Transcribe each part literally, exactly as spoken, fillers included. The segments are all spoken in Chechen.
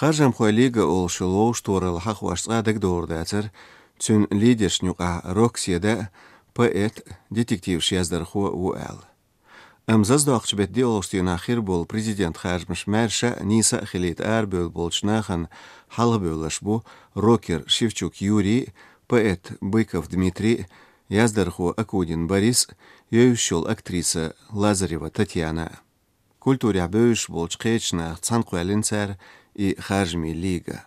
Харжамхой лига олуш йолу вовшахтохаралла хьахош цкъа а дагадогӀур дацара, цуьнан лидершна юкъахь рок-седа, поэт, детективаш яздархо ву аьлла. Амма зазадоккхучу беттан диъолгӀачу дийнахь хир болу президент харжамаш маьрша а, нийса а хилийта арабевлла болчу нахана хьалхабевлларш бу рокер Шевчук Юрий, поэт Быков Дмитрий, яздархо Акунин Борис, евзаш йолу актриса Лазарева Татьяна. Культурехь бевзаш болчу кхечу нахах цхьаьна кхоьллина цара и харжамийн лига.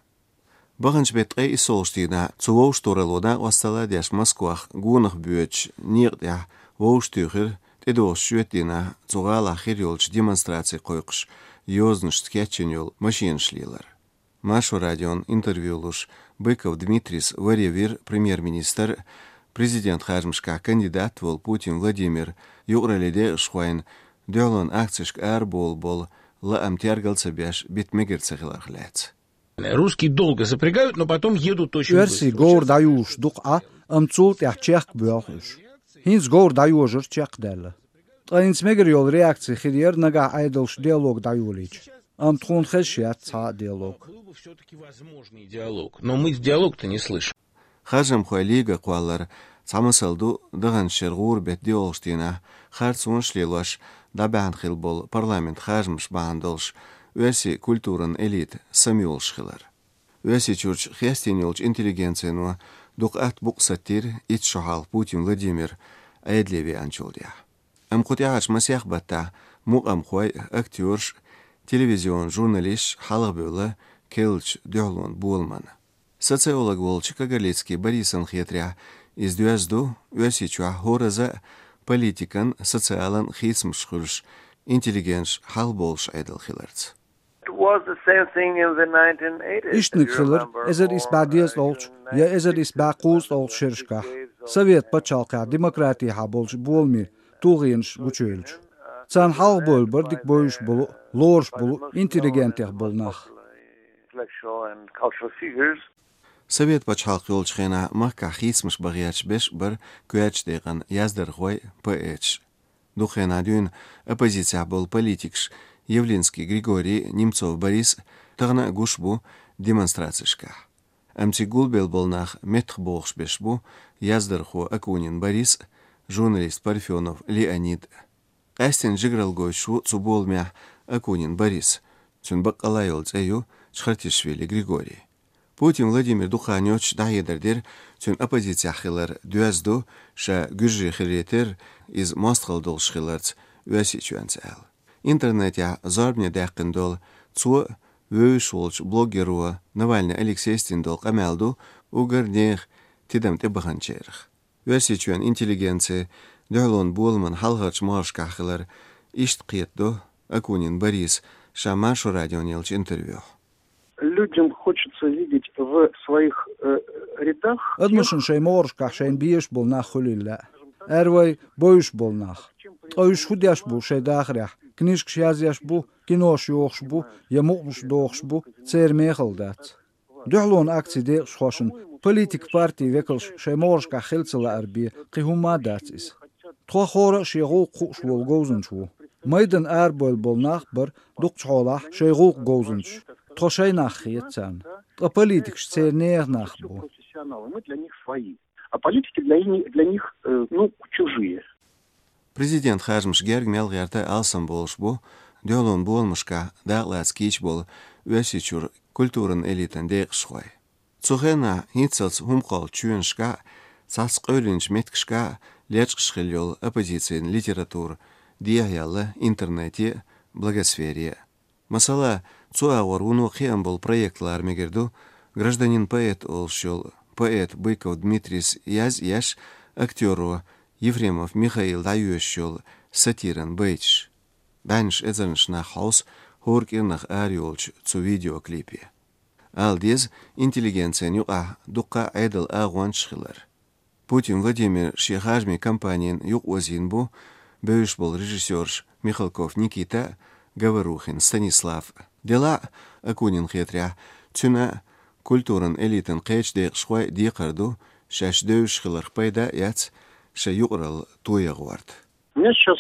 Баханчу беттан ткъе иссолгӀачу дийнахь цу вовшахтохаралло накъосталла а деш Москвахь гонах боьдучу некъа тӀехь вовшахтуьйхира тӀедогӀучу шоьтан дийнахь цу гӀалахь хир йолчу демонстраци кхойкхуш йозанашца кечйина йолу машенаш лелар. Маршо радион интервью луш, Быков Дмитрийс варе вира премьер-министр, президент харжамашкахь кандидат волу Путин Владимир, юкъараллин декъашхойн дуьхьалонан акцешка арабовла болу лаам тергал ца беш, бита мегар ца хиларх лаьцна. Русские долго запрягают, но потом едут очень быстро. Оьрсий говр дӀаюжуш дукха Ӏа, амма цул тӀаьхьа чехка боьлху уьш. ХӀинца говр дӀайожар чекхдаьлла. Ткъа хӀинца мегар йолу реакция хир яра нагахь Ӏедалша диалог дӀайолийча. Амма тхуна хезаш яц цхьа а диалог. Был бы всё-таки возможный диалог, но мы диалог-то не слышим. Харжамхой лига кхоллар цхьа масал ду, даханчу шеран гӀуран беттан диъолгӀачу дийнахь харцонаш лелош дӀабаьхьна хилла болу парламент харжамаш бахьана долуш оьрсийн культуран элита самайолуш хилар. Оьрсийчуьрчу хестийна йолчу интеллигенцино дукха атта букъ саттийра итт шо хьалха Путин Владимир Ӏедале веанчул тӀаьхьа. Амма кху тӀаьхьарчу масех баттахь мукъамхой а, актёраш а, телевизионан журналисташ а хьалхабевлла керлачу дуьхьалонан боламна. Социолог волчу Кагарлицкий Борисан хетарехь, иза доьзна ду Оьрсийчохь хӀоразза а политикан, социалан хийцамаш хуьлуш, интеллигенташ хьалхабовлуш Ӏедал хиларца. It was the same thing in the nineteen eighties. Иштаниг хилира эзар исс бӀе дезткъолгӀачу я эзар исс бӀе кхузткъолгӀачу шерашкахь, Совет пачхьалкхехь демократехьа болчу боламийн тулгӀенаш гучуевлча. Царна хьалхабевлла бара дика бовзуш болу а, лоруш болу а интеллигентех болу нах. Intellectual and cultural figures. Совет пачхьалкх йолчу хенахь махкахь хийцамаш бан гӀерташ берш а бара коьртачу декъана яздархой а, поэташ а. Дукха хенахь дуьйна оппозицехь болу политикаш Явлинский Григорий а, Немцов Борис а тахана а гуш бу демонстрацешкахь. Амма цига гулбелла болу нах меттахбохуш берш бу яздархо Акунин Борис а, журналист Парфенов Леонид а. Къаьстина жигаралла гойтуш ву цу боламехь Акунин Борис, цуьнан баккъалла йолу цӀе ю Чхартишвили Григорий. Путин Владимир дукха хан йоццуш дӀахьедар дира цуьнан оппозицехь хилар доьзна ду, ша гуьржи хиларе терра, иза мостагӀалла долуш хиларца Оьрсийчоьнца аьлла. Интернетехь зорбане даьккхина долу цо а, вевзаш волчу блогеро Навальный Алексейс дина долу къамел ду уггар нехан тидам тӀебаханчарах. Оьрсийчоьнан интеллигенци дуьхьалонан боламан хьалхарчу могӀаршкахь хилар иштта кхетадо Акунин Бориса ша Маршо радиона еллачу интервьюхь. Людям хочется видеть в своих, э, рядах... Адамашна шайн могӀаршкахь шайна безаш болу нах хуьлийла лаьа. Ара вай бовзуш болу нах. Ткъа уьш хӀун деш бу шайн дахарехь? Книжкаш язъеш бу, кинош йохуш бу я мукъамаш дохуш бу, церан мехала дац. Дуьхьалонан акцийн декъашхошна политик, партийн векалш шайн могӀаршкахь хила ца лаар бен кхин хӀумма а дац иза. Тхо хӀора а шен гӀуллакх хууш волу говзанча ву. Майданна арабевлла болу нах а бара дукхачу хьолахь шайн гӀуллакхан говзанчаш. Тхо шайн нах хета царна. Ткъа политикаш церан нехан нах бу. Профессионалы, мы для них свои. А политики для ни-, для них, э, ну, чужие. Президент харжамаш герга мел гӀерта алсамболуш бу дуьхьалонан боламашкахь дакъалаца кийча болу Оьрсийчуьра культуран элитан декъашхой. Цу хенахь хӀинццалц хӀума кхоллучу чоьнашкахь а, цхьацца къевлинчу меттигашкахь а лечкъаш хилла йолу оппозицин литература дехьаяьлла интернете а, блогосфере а. Масала, цу агӀор вуно кхиам болу проект лара мегар ду, «Гражданин-поэт» олуш йолу поэт Быков Дмитрийс язъеш, актёро Ефремов Михаила дӀайоьшуш йолу сатиран байташ. БӀеннаш эзарнаш нах хьовса хӀора кӀирнах арайолчу цу видеоклипе. Ала деза, интеллигенцин юкъахь дуккха а Ӏедалан агӀончаш хилар. Путин Владимир шен харжамийн кампанина юкъаозийна бу бевзаш болу режиссёраш Михалков Никита а, Говорухин Станислав а. Делахь а, Акунинна хетарехь, цуьнан а, культуран элитан кхечу декъашхойн а декхар ду шаьш девзаш хиларх пайда а эцна, шайн юкъаралла тоян гӀорта. У меня сейчас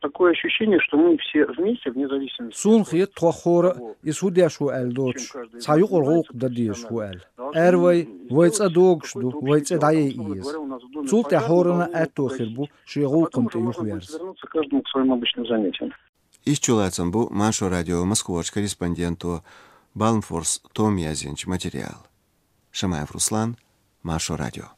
Такое ощущение, что мы все вместе, вне зависимости. Суна хет тхо хӀора а, из фу деш ву аьлла доцуш, цхьа юкъара гӀуллакх дан дезаш ву аьлла. Ара вай, вай цӀа догуш ду, вай цӀе дӀаяйа еза. Цул тӀаьхьа хӀоранна а аьтто хир бу шен гӀуллакхана тӀе юхаверза. Вернуться каждому к своим обычным занятиям. Иштта чулацам бу Маршо радион Москварчу корреспонденто Балмфорс Тома яздинчу материалан. Шамаев Руслан, Маршо радио.